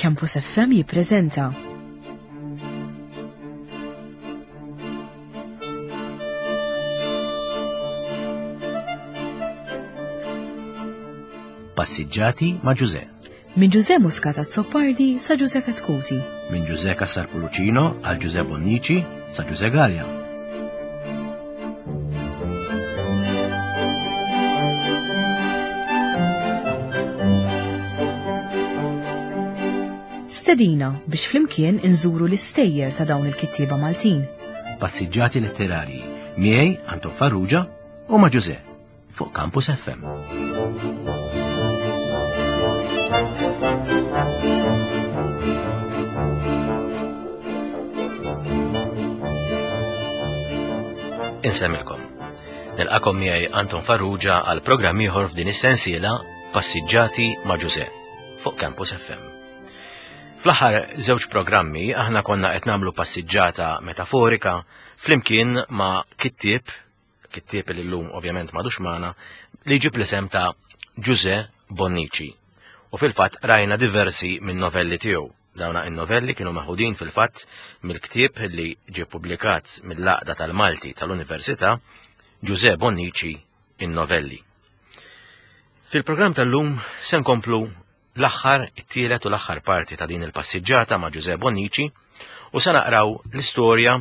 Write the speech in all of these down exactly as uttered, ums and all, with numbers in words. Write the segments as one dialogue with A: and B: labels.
A: Campus F M jippreżenta
B: Passiġġati ma' Ġuże.
A: Minn Ġuże Muscat Azzopardi sa Ġuże Katkuti.
B: Minn Ġuże Cassar Pulucino għal Ġuże Bonnici sa Ġuże Gallia.
A: Stedina biex flimkien inżuru l-istejjer ta' dawn il-kittieba Maltin.
B: Passiġġati letterarji miegħi Anton Farrugia u ma' Ġuże fuq Campus F M. Insemmilkom. Nilqakom miegħi Anton Farrugia għal programm ieħor f'din is-sensiela Passiġġati ma' Ġuże fuq Campus F M. Fl-aħħar żewġ programmi aħna konna qed nagħmlu passiġġata metaforika flimkien ma' kittieb, kittieb li llum ovvjament m'għadux magħna, li jġib l-isem ta' Ġuże Bonnici. U fil-fatt rajna diversi minn novelli tiegħu. Dawna in-novelli kienu meħudin fil-fatt mill-ktieb li ġie ppubblikat mill-Għaqda tal-Malti tal-Università, Ġuże Bonnici in-novelli. Fil-programm tal-lum se nkomplu l-aħħar, it-tielet u l-aħħar parti ta' din il-passiġġata ma' Ġuże Bonnici u se naqraw l-istorja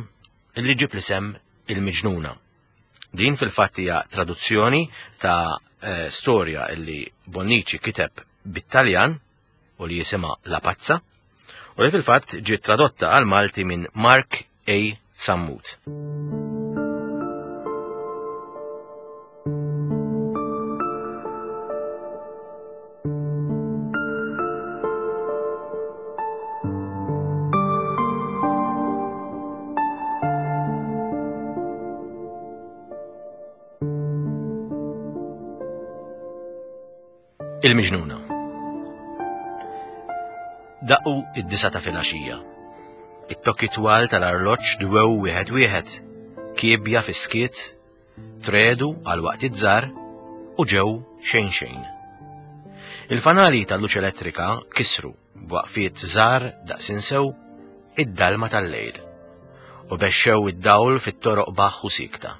B: li ġib l-isem Il-Miġnuna. Din fil-fatt hija traduzzjoni ta' eh, storja li Bonnici kiteb bit-Taljan u li jisimha La Pazza u li fil-fatt ġiet tradotta għal Malti minn Mark A. Sammut. Il-Miġnuna. Daqqu id-disa ta' filgħaxija. It-tokki twal tal-arloġġ dwew wieħed wieħed, kiebja fis-skiet, tredu għal waqt iż-żar u ġew xejn xejn. Il-fanali tal-luċ elettrika kisru b'waqfiet żgħar daqs insew id-dalma tal-lejl u bexxew id-dawl fit-toroq baħħ u sikta.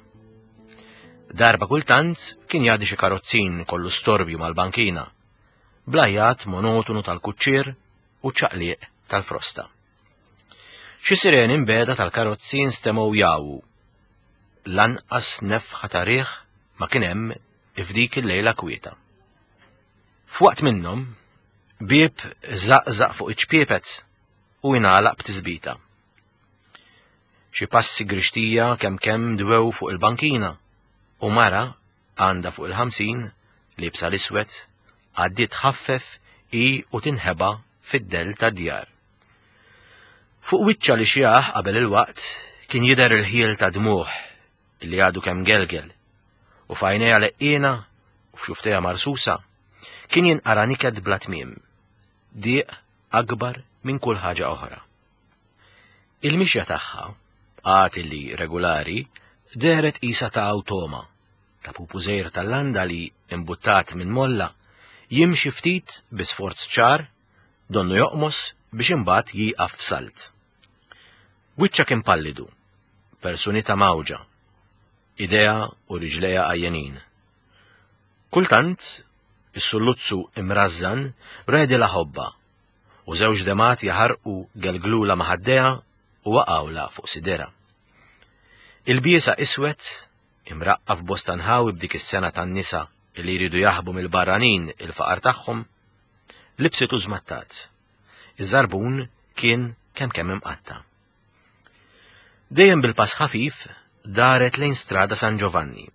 B: Darba kultant kien jgħaddi xi karozzin kollu storbju mal-bankina, blajat monotonu tal-kuċċier u ċaqliq tal-frosta. Xi sireni mbeda tal-karozzi nstemgħu jawwu. Lanqas nefħa ta' riħ ma kien hemm f'dik il-lejla kwieta. F'waqt minnhom, bieb żaqżaq fuq iċ-ċpiepet u jingħalaq b'tisbita. Xi passi grixtija kemm kemm dwew fuq il-bankina u mara għandha fuq il-ħamsin liebsa l-iswed għaddiet tħaffef i u tinħeba fid-dell tad-djar. Fuq wiċċa li xjaħ qabel il-waqt kien jidher il-ħiel ta' dmuħ li għadu kemm gelgel u f'għajnejha leqqiena u f'xuftejha marsusa kien jinqara niket bla tmiem, dieq akbar minn kull ħaġa oħra. Il-mixja tagħha, għad li regolari, dehret qisha ta' awtoma, ta' pupu żgħir tal-landa li imbuttat minn molla, jimxi ftit bi sforz ċar, donnu joqmos biex imbagħad jieqaf f'salt. Wiċċha kien pallidu, personita mawġa, idea u riġlejha għajjenin. Kultant, is-sulluzzu imrażżan redilha ħobba u żewġ demat jaħarqu gelglula maħaddeha u waqgħula fuq sidera. Il-biesa iswed, imraqqa f'bosta nħawi b'dik is-sena tan-nisa li jridu jaħbu mill-barranin il-faqar tagħhom, libsitu żmattat. Iż-żarbun kien kemm kemm imqatta. Dejjem bil-pass ħafif daret lejn strada San Giovanni.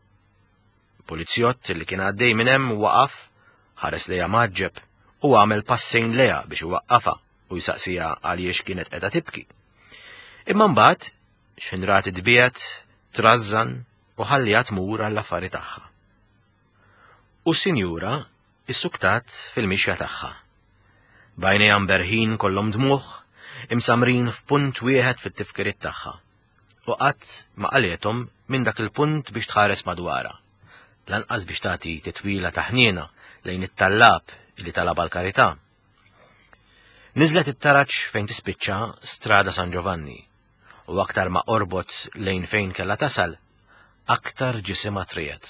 B: Polizjott li kien għaddej minn hemm waqaf, ħares lejha maġġeb u għamel passejn lejha biex iwaqqafha u jsaqsiha għaliex kienet qiegħda tibki. Imma mbagħad x'inrat tbiegħed, trażżan u ħalliha tmur għall-affari tagħha. U s-sinjura issuktat fil-mixja tagħha. Bajnejha mberħin kollhom dmuħ, imsamrin f'punt wieħed fit-tifkiriet tagħha. U qatt ma qalethom minn dak il-punt biex tħares madwarha. Lanqas biex tagħti titwila ta' ħniena lejn it-tallab li talab għall-karità. Niżlet it-taraġ fejn tispiċċa Strada San Giovanni, u aktar ma qorbot lejn fejn kellha tasal, aktar ġisimha triegħed,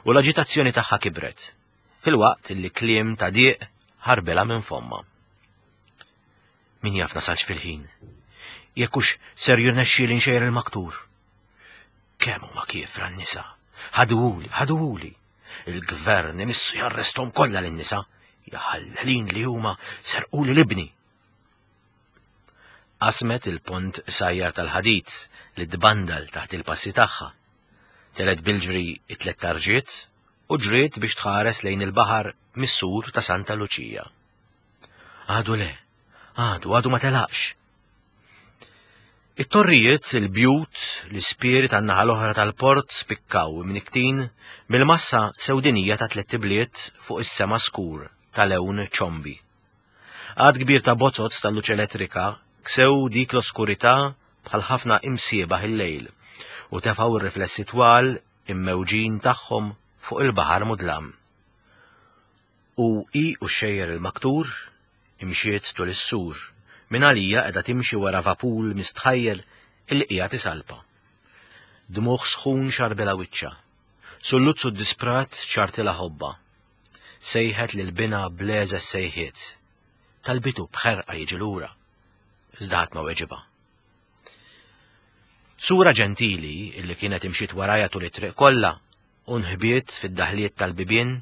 B: u l-aġitazzjoni tagħha kibret, filwaqt li kliem ta' dieq ħarbilha minn fomma. Min jaf nasalx fil-ħin? Jekk hux ser jirnexxieli nxejjer il-maktur. Kemm huma kiefra n-nisa? Ħaduhuli, ħaduhuli. Il-gvern imissu jarresthom kollha lin-nisa. Jaħallelin li huma serquli l-ibni. Qasmet il-pont qsajjar tal-ħadid li tbandal taħt il-passi tagħha. Telgħet bil-ġri it-tliet tarġiet u ġriet biex tħares lejn il-baħar mis-sur ta' Santa Luċija. Għadu le, għadu, għadu ma telaqx. It-torrijiet, il-bjut, l-ispieri tan-naħa l-oħra tal-port spikkaw imniktin mill-massa sewdinija ta' tliet ibliet fuq is-sema skur ta' lewn ċombi. Għad kbir ta' bozoz tal-luċ elettrika ksew dik l-oskurità bħal ħafna imsiebaħ il-lejl u tefgħu r-riflessi twal immewġin tagħhom fuq il-baħar mudlam. U hi u xejjer il-maktur imxiet tul is-sur, minn għalija qiegħda timxi wara vapur mistħajjel illi qiegħed isalpa. Dmuħ sħun xarbilha wiċċha, sulluzzu disprat ċartilha ħobba. Sejħet lil binha b'leża sejħiet, talbitu b'ħerqa jiġi lura, iżda ħadd ma weġibha. Sura ġentili illi kienet imxiet warajha tul it-triq kollha u nħbiet fid-daħliet tal-bibien,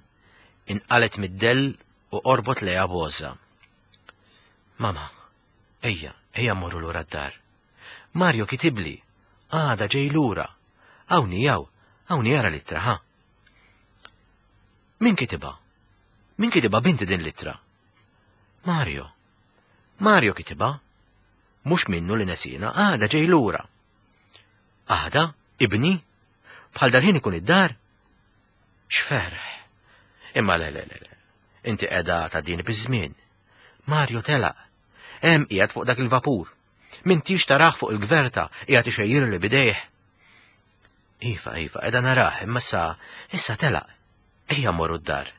B: inqalet mid-dell u qorbot lejha b'għożża. Mama, ejja, ejja mmorru lura d-dar. Mario kitibli, għada ġej lura. Hawnhi hawn, hawnhi ara l-ittra, ha? Min kitibha? Min kitibha binti din l-ittra? Mario. Mario kitibha. Mhux minnu li nesina, għada ġej lura. Għada, ibni? Bħal dal-ħin ikun id-dar? X'ferħ. Imma le, le, le, le. Inti qiegħda ta' din biż-żmien. Mario telaq. Hemm qiegħed fuq dak il-vapur. M'intix tarah fuq il-gverta, qiegħed ixejjirli bidejh. Iva, iva, qiegħda narah, imma issa, issa telaq. Ejja mmorru d-dar.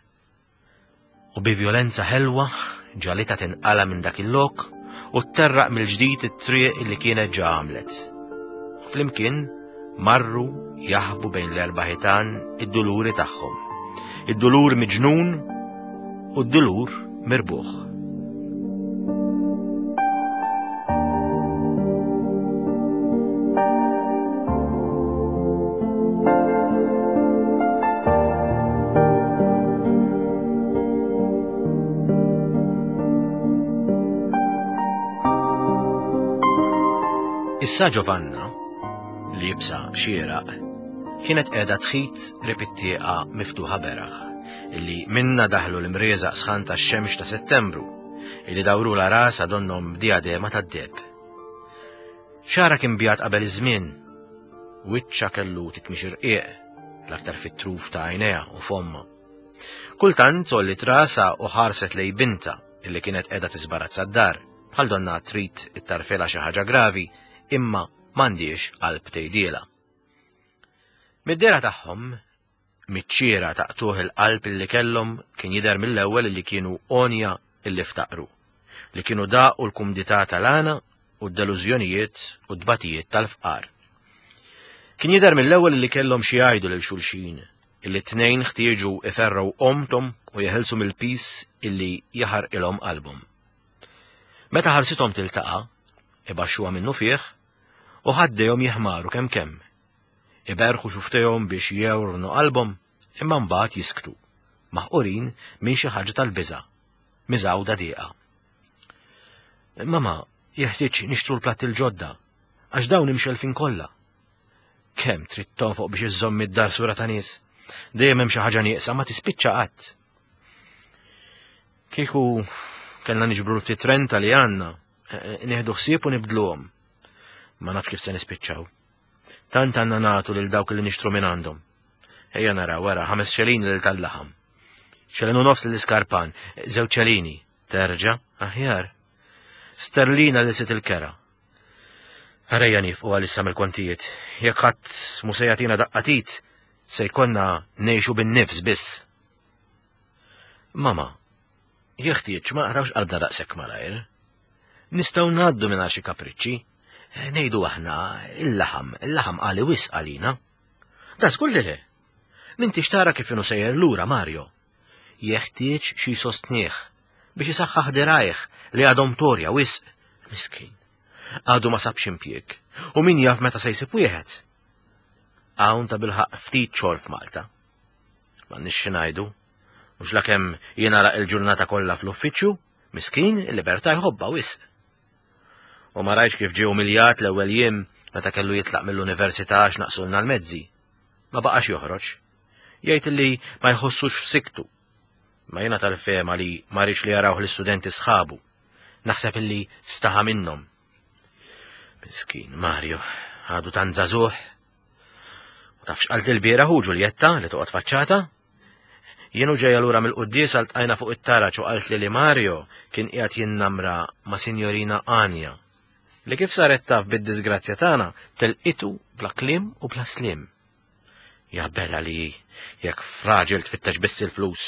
B: U bi vjolenza ħelwa ġalitha tinqala minn dak il-lok u tterraq mill-ġdid it-triq li kienet ġa għamlet. Flimkien marru jaħbu bejn l-erba' ħitan id-duluri tagħhom. Id-dulur miġnun u d-dulur mirbuħ. Issa Giovanna, li jibsa xieraq, kienet qiegħda tħit qrib it-tieqa miftuħa beraħ, illi minna daħlu l-imrieżaq sħan tax-xemx ta' Settembru, illi dawrula rasha donnhom b'diadema tad-deheb. Xagħarha kien bjad qabel iż-żmien, wiċċha kellu titmix irqiq, l-aktar fit-truf ta' għajnejha u fomma. Kultant għolliet rasha u ħarset lej binta illi kienet qiegħda tiżbarazza d-dar, bħal donna trid ittarfilha xi ħaġa gravi, imma m'għandix qalb tgħidielha. Mid-dehra tagħhom, miċ-ċiera taqtuħ il-qalb illi kellhom kien jidher mill-ewwel illi kienu għonja illi ftaqru, li kienu daqu l-kumdità tal-għana u d-delużjonijiet u d-dbatijiet tal-fqar. Kien jidher mill-ewwel illi kellhom xi jgħidu lil xulxin, illi t-tnejn ħtieġu iferrgħu omtom u jeħilsu mill-pis illi jaħarqilhom qalbhom. Meta ħarsithom tiltaqa', ibaxxuha minnu fih, u ħaddejhom jiħmaru kemm kemm. Iberħu xuftejhom biex jewrnu qalbhom, imma mbagħad jisktu, maħqurin minn xi ħaġa tal-biża', miżgħuda dieqa. Mama, jeħtieġ nixtru l-platt il-ġodda, għax dawn imxelfin kollha. Kemm trid tonfoq biex iżżomm id-dar sura ta' nies? Dejjem hemm xi ħaġa nieqsa ma tispiċċa qatt. Kieku kellna niġbru ftit renta li għandna, nieħdu ħsieb u nibdluhom. Ma nafx kif se nispiċċaw. Tant għandna nagħtu lil dawk li nixtru minn għandhom. Ejja nara wara ħames xelini lil tal-laħam. Xelin u nofs lil iskarpan, żewġ xelini, terġa' aħjar. Sterlina li sit il-kera. Ħarejja nifqu għalissa mill-kontijiet. Jekk ħadd mhu se jagħtina daqqatit, se jkollna ngħixu bin-nifs biss. Mama, jeħtieġ ma naqtgħux qalbna daqshekk malajr. Nistgħu ngħaddu minn xi kapriċċi. Ngħidu aħna il-laħam, il-laħam għali wisq għalina. Da żgur li le. M'intix tara kif inhu sejjer lura Mario. Jeħtieġ xi sostnieh biex isaħħaħ dirajh li għadhom torja wisq. Miskin. Għadu ma sabx impjieg. U min jaf meta se jsib wieħed. Hawn ta' bilħaq ftit xogħol f'Malta. M'għandniex xi ngħidu. Mhux lakemm jingħalaq il-ġurnata kollha fl-uffiċċju, miskin il-libertà jħobbha wisq. U ma rajtx kif ġie umiljat l-ewwel jiem meta kellu jitlaq mill-università għax naqsulna l-mezzi. Ma baqax joħroġ. Jgħid li ma jħossux f'siktu. Ma jiena tal-fehma li ma riedx li jarawh l-istudenti sħabu. Naħseb illi staħa minnhom. Miskin Mario, għadu tant żagħżugħ. U taf x'qalt il-bieraħ hu Ġuljetta li toqgħod faċċata? Jien u ġejja lura mill-quddiesa ltqajna fuq it-taraġ u qaltli li Mario kien qiegħed jinnamra ma' Sinjorina Anja. Li kif saret taf bid-disgrazzja tagħna telqitu bla kliem u bla sliem. Ja bella li jekk f'raġel tfittex biss il-flus.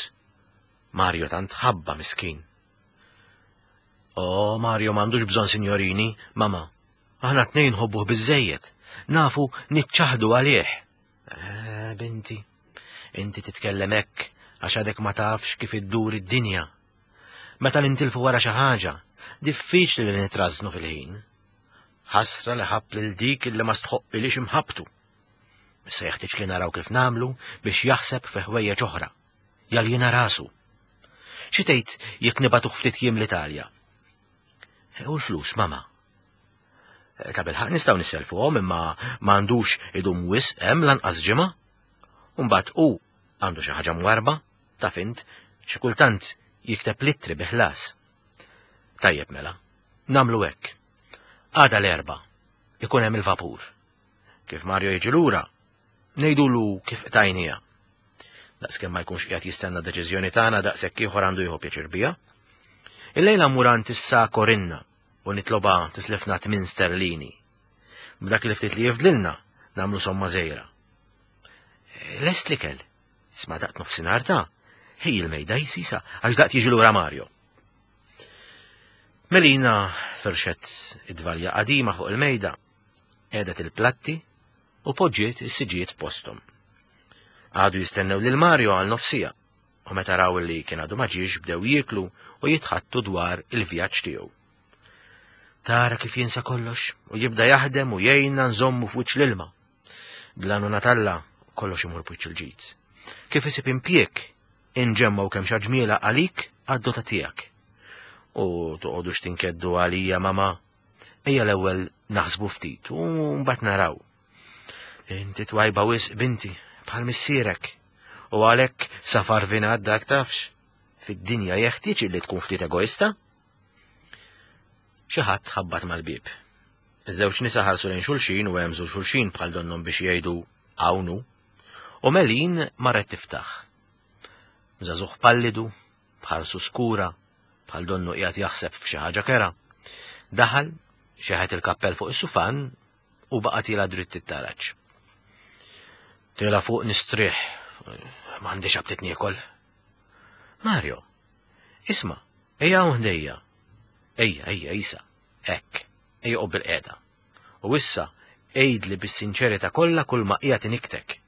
B: Mario tant ħabba miskin. Oh, Mario m'għandux bżonn sinjorini, mama. Aħna tnejn nħobbuh biżejjed. Nafu niċċaħdu għalih. Eh, binti, inti titkellem hekk għax għadek ma tafx kif iddur id-dinja. Meta nintilfu wara xi ħaġa, diffiċli li nitrażnu fil-ħin. Ħasra li ħabb lil dik li ma stħoqqilix imħabbtu. Issa jeħtieġ li naraw kif nagħmlu biex jaħseb fi ħwejjeġ oħra. Jaljena rasu. Xi tgħid jekk nibagħtuh ftit jiem l-Italja? U l-flus, mama. Ta' bilħaq nistgħu nisselfuhom imma m'għandux idum wisq hemm lanqas ġimgħa. Mbagħad hu għandu xi ħaġa mwarba, taf int, xi kultant jikteb littri bi ħlas. Tajjeb mela, nagħmlu hekk. Għada l-Erbgħa, ikun hemm il-vapur. Kif Mario jiġi lura, ngħidulu kif qtajnija. Daqskemm ma jkunx qiegħed jistenna deċiżjoni tagħna daqshekk ieħor għandu jieħu pjaċir biha. Illejla mmur għand issa Korinna u nitloba tislifna tmien sterlini. B'dak li ftit li jifdlilna nagħmlu somma żgħira. Lest l-ikel. Isma' daqt nofsinhar ta' ħej il-mejda jisisa għax daqt jiġi lura Mario. Melina firxet id-dvalja qadima fuq il-mejda, qiegħdet il-platti u poġġiet is-siġijiet postom. Għadu jistennew lil Mario għal nofsija u meta raw li kien għadu ma ġiex bdew jieklu u jitħattu dwar il-vjaġġ tiegħu. Tara kif jinsa kollox u jibda jaħdem u jgħinna nżommu f'wiċċ l-ilma. Bl-għajnuna t'Alla kollox imur b'wiċċ il-ġid. Kif isib impjieg inġemmaw kemm ġmiela għalik għad-dota tiegħek. U toqgħodux tinkeddu għalija mama. Ejja l-ewwel naħsbu ftit u mbagħad naraw. Inti twajba wisq binti bħal missierek. U għalhekk safar vinat dak tafx. Fid-dinja jeħtieġ li tkun ftit egoista. Xi ħadd ħabbat mal-bieb. Iż-żewġ nisa ħarsu lejn xulxin u hemżu xulxin bħal donnhom biex jgħidu hawn hu. U Melin marret tiftaħ. Żagħżugħ pallidu, bħal skura, bħal donnu qiegħed jaħseb f'xi ħaġa kera. Daħal, xeħet il-kappell fuq is-sufan u baqa' tiela' dritt it-taraġ. Tiela' fuq nistrieħ, m'għandix aptit niekol. Mario, isma', ejja hawn ħdejja. Ejja, ejja, isa, hekk, ejja oqgħod bilqiegħda. U issa, għidli bis-sinċerità kollha kull ma qiegħed iniktek.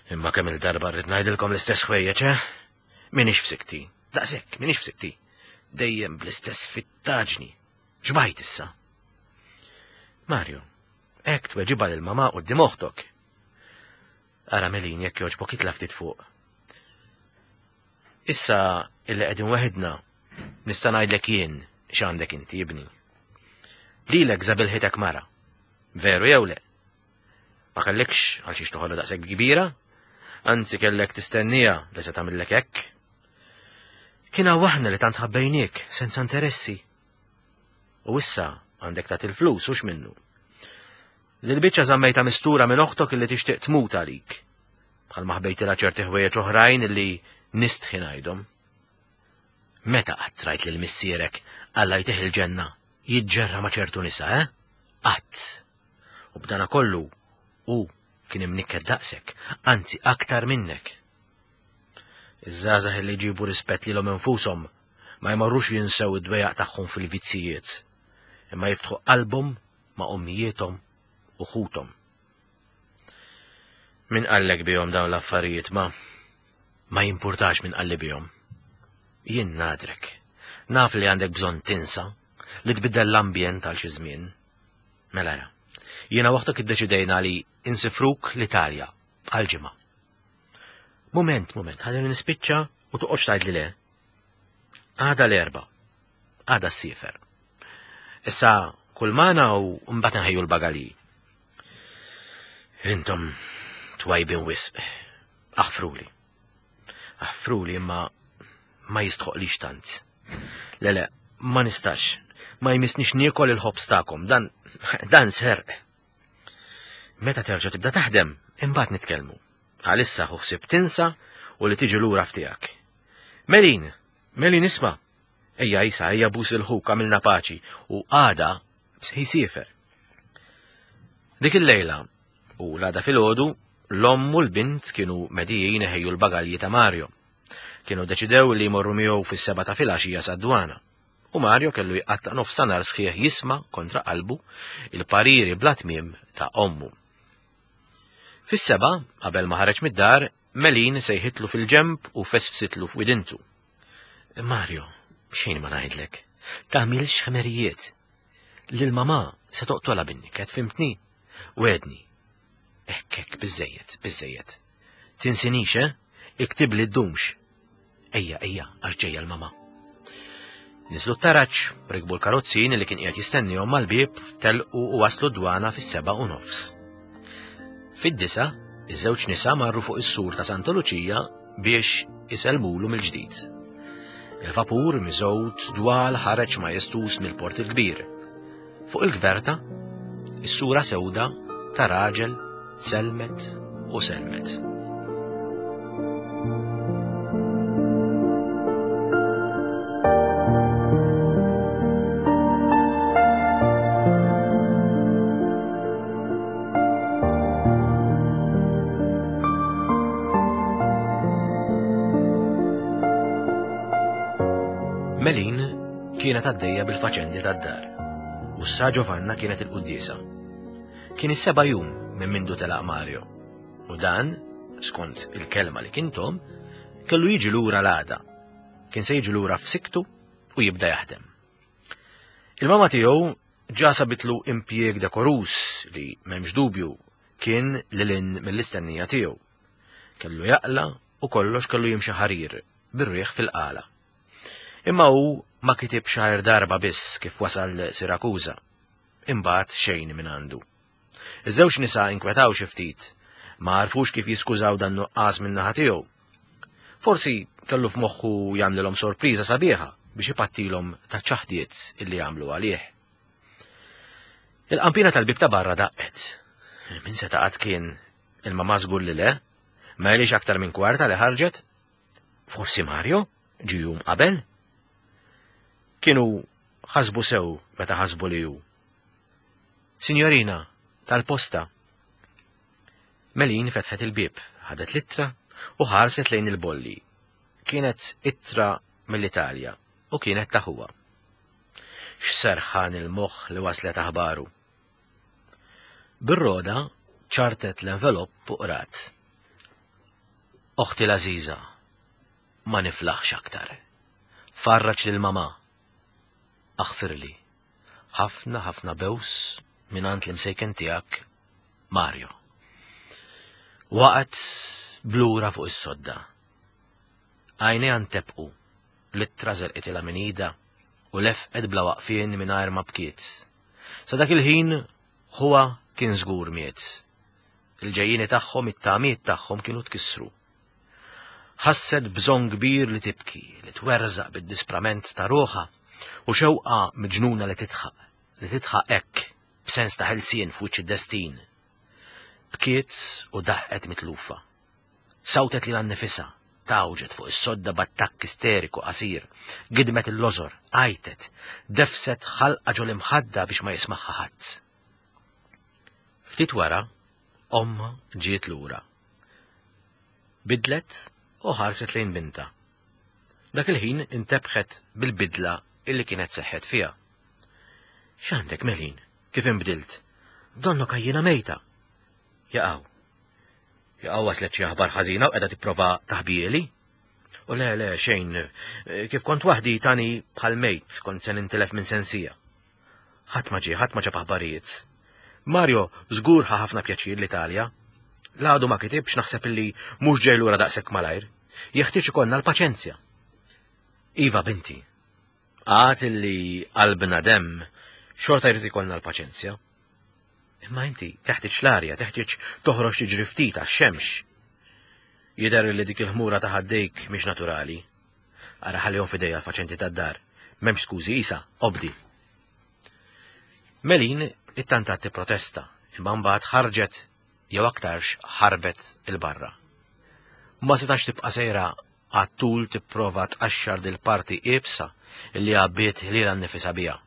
B: Imma kemm il-darba rrid ngħidilkom l-istess ħwejjeġ, eh? Minix f'sikti, daqshekk, minix f'sikti. Dejjem bl-istess fittaġni. Xbajt issa. Mario, hekk tweġibha lil mama quddiem oħtok. Ara Melin jekk jogħġbok itla' ftit fuq. Issa illi qegħdin weħidna nista' ngħidlek jien x'għandek inti ibni. Lilek żabilħitek mara. Veru jew le? Ma kellekx għal xiex toħodha daqshekk kbira? Anzi kellek tistennija li se tagħmillek hekk. Kien hawn aħna li tant ħabbejniek senza interessi. U issa għandek tagħti il-flus hux minnu. Dil-biċċa żammejta mistura minn oħtok illi tixtieq tmut għalik. Bħal ma ħbejtilha ċerti ħwejjeġ oħrajn illi nistħi ngħidhom. Meta qatt rajt lil missierek Alla jtih il-ġenna jiġġerra ma' ċertu nisa, eh? Qatt. U b'dana kollu hu kien imnikket daqsek, anzi aktar minnek. Iż-żgħażagħ li jġibu rispett lilhom infushom Ma jmorrux jinsew id-dwejaq tagħhom fil-vizzijiet, imma jiftħu qalbhom ma' ommijiethom u ħuthom. Min qallek bihom dawn l-affarijiet ma? Ma jimpurtax min qalli bihom. Jien nadrek. Naf li għandek bżonn tinsa, li tbiddel l-ambjent għal xi żmien. Mela ra. Jiena waħdok iddeċidejna li insifruk l-Italja għal ġimgħa. Mument, mument, ħalli nispiċċa u toqgħodx tgħid li le. Għada l-Erbgħa. Għada ssiefer. Issa kull magħna u mbagħad nħejju l-bagalji. Intom twajbin wisq. Aħfruli. Aħfruli imma ma jistħoqlix tant. Le le, ma nistax. Ma jmissnix niekol il-ħobż tagħkom, dan dan serq. Meta terġa' tibda taħdem, imbagħad nitkellmu. Għalissa ħu ħsieb tinsa u li tiġi lura f'tiegħek. Melin, Melin isma'. Ejja isa, ejja bus il-ħuk għamilna paċi u għada jsiefer. Dik il-lejla u l-għada filgħodu l-omm u l-bint kienu medijin iħejju l-bagalji ta' Mario. Kienu deċidew li jmorru miegħu fis-seba' ta' filgħaxija sad-dwana. U Mario kellu jqatta' nofs nhar sħiħ jisma' kontra qalbu il-pariri bla tmiem ta' ommu. Fis-seba', qabel ma ħareġ mid-dar, Melin sejħitlu fil-ġemb u fesfsitlu f'widintu. Mario, xejn ma ngħidlek, tagħmilx ħmerijiet. Lil mamà se toqtolha bin-niket, fimtni? Wedni. Hekk hekk, biżejjed, biżejjed. Tinsinix, eh? Iktibli ddumx. Ejja, ejja, għax ġejja l-mamà. Niżlu t-taraġ, rikbu l-karozzin li kien qiegħed jistennihom mal-bieb, telqu u waslu d-dwana fis-seba' u nofs. Fid-disa, iż-żewġ nisa marru fuq is-sur ta' Santa Luċija biex isellmulu mill-ġdid. Il-vapur miżgħud dwal ħareġ majestus mill-Port il-Kbir. Fuq il-gverta, is-sura sewda ta' raġel selmet u selmet. Melin kienet għaddejja bil-faċendi tad-dar u sa Giovanna kienet il-quddiesa. Kien is-seba' jum minn mindu telaq Mario u dan, skont il-kelma li kien tom, kellu jiġi lura l-għada. Kien se jiġi lura f'siktu u jibda jaħdem. Il-mama tiegħu ġa sabitlu impjieg dekorus li m'hemmx dubju kien lil hinn mill-istennija tiegħu. Kellu jaqla u kollox kellu jimxi ħarir bir-riħ fil-qala. Imma hu ma kitib xahar darba biss kif wasal Sirakuża. Imbagħad xejn minn għandu. Iż-żewġ nisa inkwetaw xi ftit, ma għarfux kif jiskużaw dan nuqqas minn naħa tiegħu. Forsi kellu f'moħħu jagħmlilhom sorpriża sabiħa biex ipattilhom ta' ċaħdiet illi għamlu għalih. Il-qampina tal-bib ta' barra daqqet. Min se taqgħod kien il-mamà żgur li le, ma għaliex aktar minn kwarta li ħarġet. Forsi Mario ġie jum qabel? Kienu ħasbu sew meta ħasbu li hu. Signorina, tal-posta. Melin fetħet il-bieb, ħadet l-ittra u ħarset lejn il-bolli. Kienet ittra mill-Italja u kienet ta' ħuha. X'serħan il-moħħ li waslet aħbaru. Bir-roda ċartet l-envelopp u qrat. Oħti l-għażiża, ma niflaħx aktar. Farraġ lil mamà. Aħfirli. Ħafna ħafna bews mingħand l-imsejken tiegħek, Mario. Waqgħet blura fuq is-sodda. Għajnejha ntebqu, l-ittra żelqitilha minn idha u lefqet bla waqfien mingħajr ma bkiet. Sa dak il-ħin ħuha kien żgur miet. Il-ġejjieni tagħhom, it-tamiet tagħhom kienu tkissru. Ħasset bżonn kbir li tibki, li twerżaq bid-disprament ta' ruħha u xewqa miġnuna li titħaq, li titħaq hekk b'sens ta' ħelsien f'wiċċ id-destin. Bkiet u daħqet mitlufa. Sawtet lilha nnifisha, tawġet fuq is-sodda b'attakk isteriku qasir, gidmet il-lożor, għajtet, defset ħalqa ġol imħadda biex ma jismagħha ħadd. Ftit wara, omma ġiet lura. Bidlet u ħarset lejn binta. Dak il-ħin intebħet bil-bidla illi kienet seħħet fiha. X'għandek, Melin? Kif inbdilt? Donnok għajjiena mejta. Jaqaw. Jaqaw waslet xi aħbar ħażina u qiegħda tipprova taħbieli? U le, le, xejn, kif kont waħdi tani bħal mejt, kont se nintilef minn sensija. Ħadd ma ġie, ħadd ma ġab aħbarijiet. Mario żgur ħa ħafna pjaċir l-Italja. L-għadu ma kitibx, naħseb illi mhux ġej lura daqshekk malajr. Jeħtieġ ikollna l-paċenzja. Iva, binti, għad illi qalbna demm, xorta jrid ikollna l-paċenzja. Imma inti teħtieġ l-arja, teħtieġ toħroġ tiġri ftit għax-xemx. Jidher li dik il-ħmura ta' ħaddejk mhix naturali. Ara ħallihom f'idejja l-faċenti tad-dar. M'hemmx skużi, isa, obdi. Melin ittantat tipprotesta, imma mbagħad ħarġet jew aktarx ħarbet il-barra. Ma setax tibqa' sejra għat-tul tipprova tqaxxar dil-parti iebsa li għabbiet lilha nnifisha biha.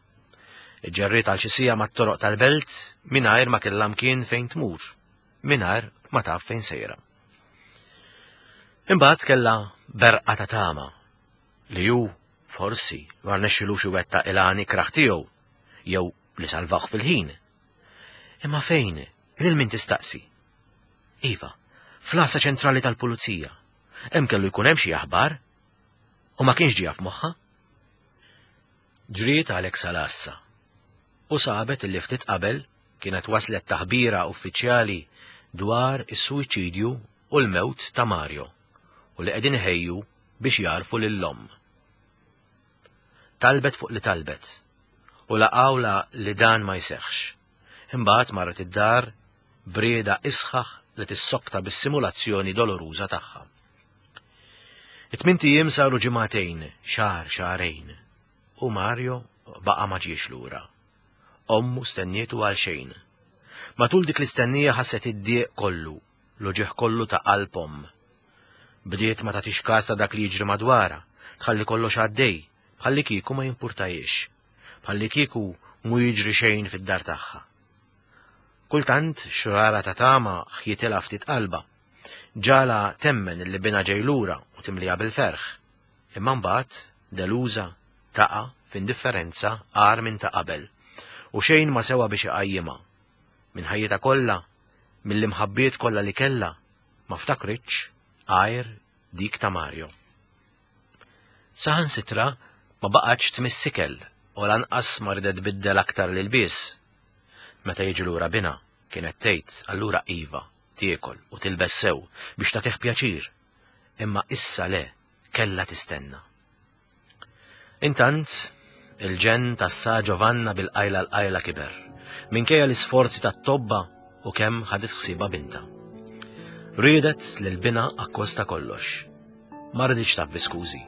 B: Ġerriet għal xi siegħa mat-toroq tal-belt mingħajr ma kellha mkien fejn tmur, mingħajr ma taf fejn sejra. Imbagħad kellha berqa ta' tama li hu forsi ma rnexxilux iwettaq il-għan ikrah tiegħu jew li salvah fil-ħin. Imma fejn, lil min tistaqsi? Iva, fl-għassa ċentrali tal-pulizija. Hemm kellu jkun hemm xi aħbar u ma kienx ġie f'moħħha. Ġriet għalhekk sal-għassa u sabet li ftit qabel kienet waslet taħbira uffiċjali dwar is-suwiċidju u l-mewt ta' Mario u li qegħdin iħejju biex jarfu lill-omm. Talbet fuq li talbet u laqawla li dan ma jseħħx. Imbagħad marret id-dar brieda isħaħ li tissokta bis-simulazzjoni doloruża tagħha. It-tmint ijiem saru ġimagħtejn, xahar, xahrejn, u Mario baqa' ma ġiex lura. Ommu stennietu għal xejn. Matul dik l-istennija ħasset id-dieq kollu, l-uġigħ kollu ta' qalb omm. Bdiet ma tagħtix każ ta' dak li jiġri madwarha, tħalli kollox għaddej, bħalli kieku ma jimpurtajiex, bħalli kieku mu jiġri xejn fid-dar tagħha. Kultant xrara ta' tama ħjitilha ftit qalba. Ġala temmen li bina ġej lura u timlija bil-ferħ. Imma mbagħad deluża taqa' f'indifferenza agħar minn ta' qabel u xejn ma sewa biex iqajjimha. Minn ħajjitha kollha, mill-imħabbiet kollha li kellha, ma ftakritx għajr dik ta' Mario. Saħansitra ma baqgħetx tmiss ikel u lanqas ma ridet tbiddel aktar l-ilbies. Meta jiġi lura bina, kienet tgħid allura iva, tiekol u tilbes sew biex tagħtih pjaċir. Imma issa le, kellha tistenna. Intant, il-ġenn tas-Sa Giovanna bil-qajla l-qajla kiber, minkejja l-isforzi tat-tobba u kemm ħadet ħsiebha binta. Riedet lil bina akkosta kollox. Ma riditx taf bi skużi.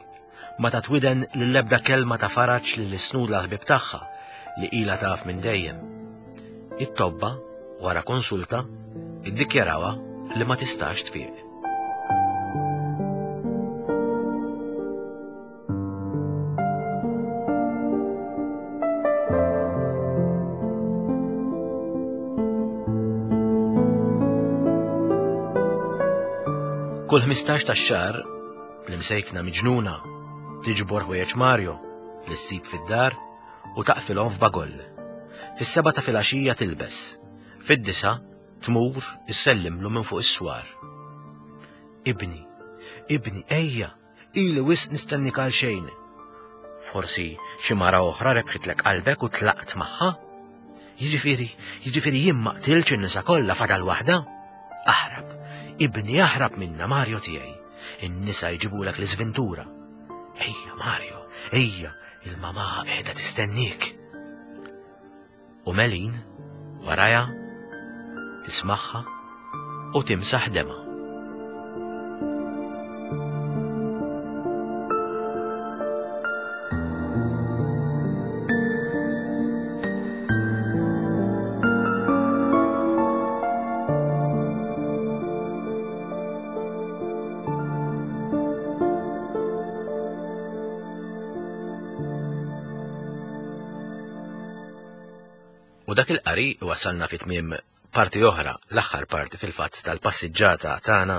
B: Ma tatwiden lill-ebda kelma ta' faraġ lil isnud l-ħbib tagħha li ilha taf minn dejjem. It-tobba, wara konsulta, iddikjarawha li ma tistax tfiq. Kull ħmistax tax-xahar, l-imsejkna miġnuna tiġbor ħwejjeġ Mario li ssib fid-dar u taqfilhom f'bagoll. Fis-seba ta' filgħaxija tilbes, fid-disa tmur issellimlu minn fuq is-swar. Ibni, ibni, ejja, ili wisq nistennik għal xejn. Forsi xi mara oħra rebħitlek qalbek u tlaqt magħha? Jiġifieri, jiġifieri jien ma qtilx in-nisa kollha fadal waħda? Aħrab, ibni, aħrab minna, Mario tiegħi. In-nisa jġibulek l-iżventura. Ejja, Mario, ejja, il-mamà qiegħda tistennik. U Melin, warajha, tismagħha u timsaħ demha. U dak il-qari wasalna fi tmiem parti oħra, l-aħħar parti fil-fatt tal-passiġġata tagħna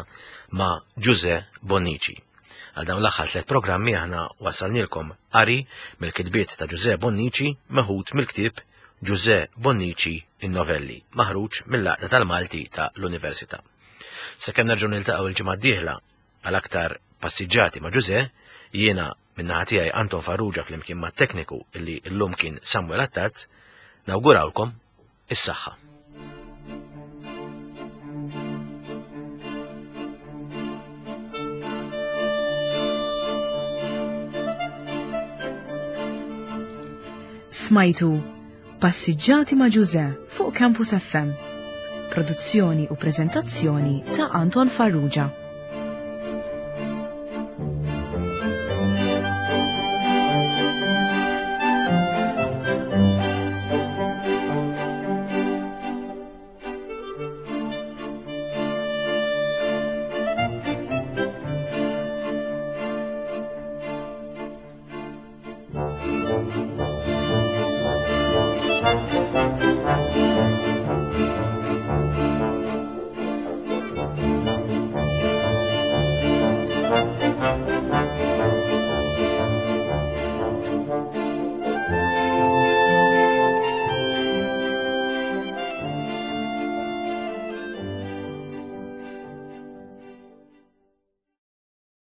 B: ma' Ġużè Bonnici. Għal dawn l-aħħar tliet programmi aħna wassalnilkom qari mill-kitbiet ta' Ġużè Bonnici meħud mill-ktieb Ġużè Bonnici in-Novelli, maħruġ mill-Għaqda tal-Malti ta' l-Università. Sakemm nerġgħu niltaqgħu il-ġimgħa d-dieħla għal aktar passiġġati ma' Ġużè, jiena min-naħa tiegħi Anton Farrugia flimkien mat-tekniku illi llum kien Samuel Attard, nawgurawlkom is-saħħa.
A: Smajtu Passiġġati ma' Ġużè fuq Campus F M. Produzzjoni u preżentazzjoni ta' Anton Farrugia.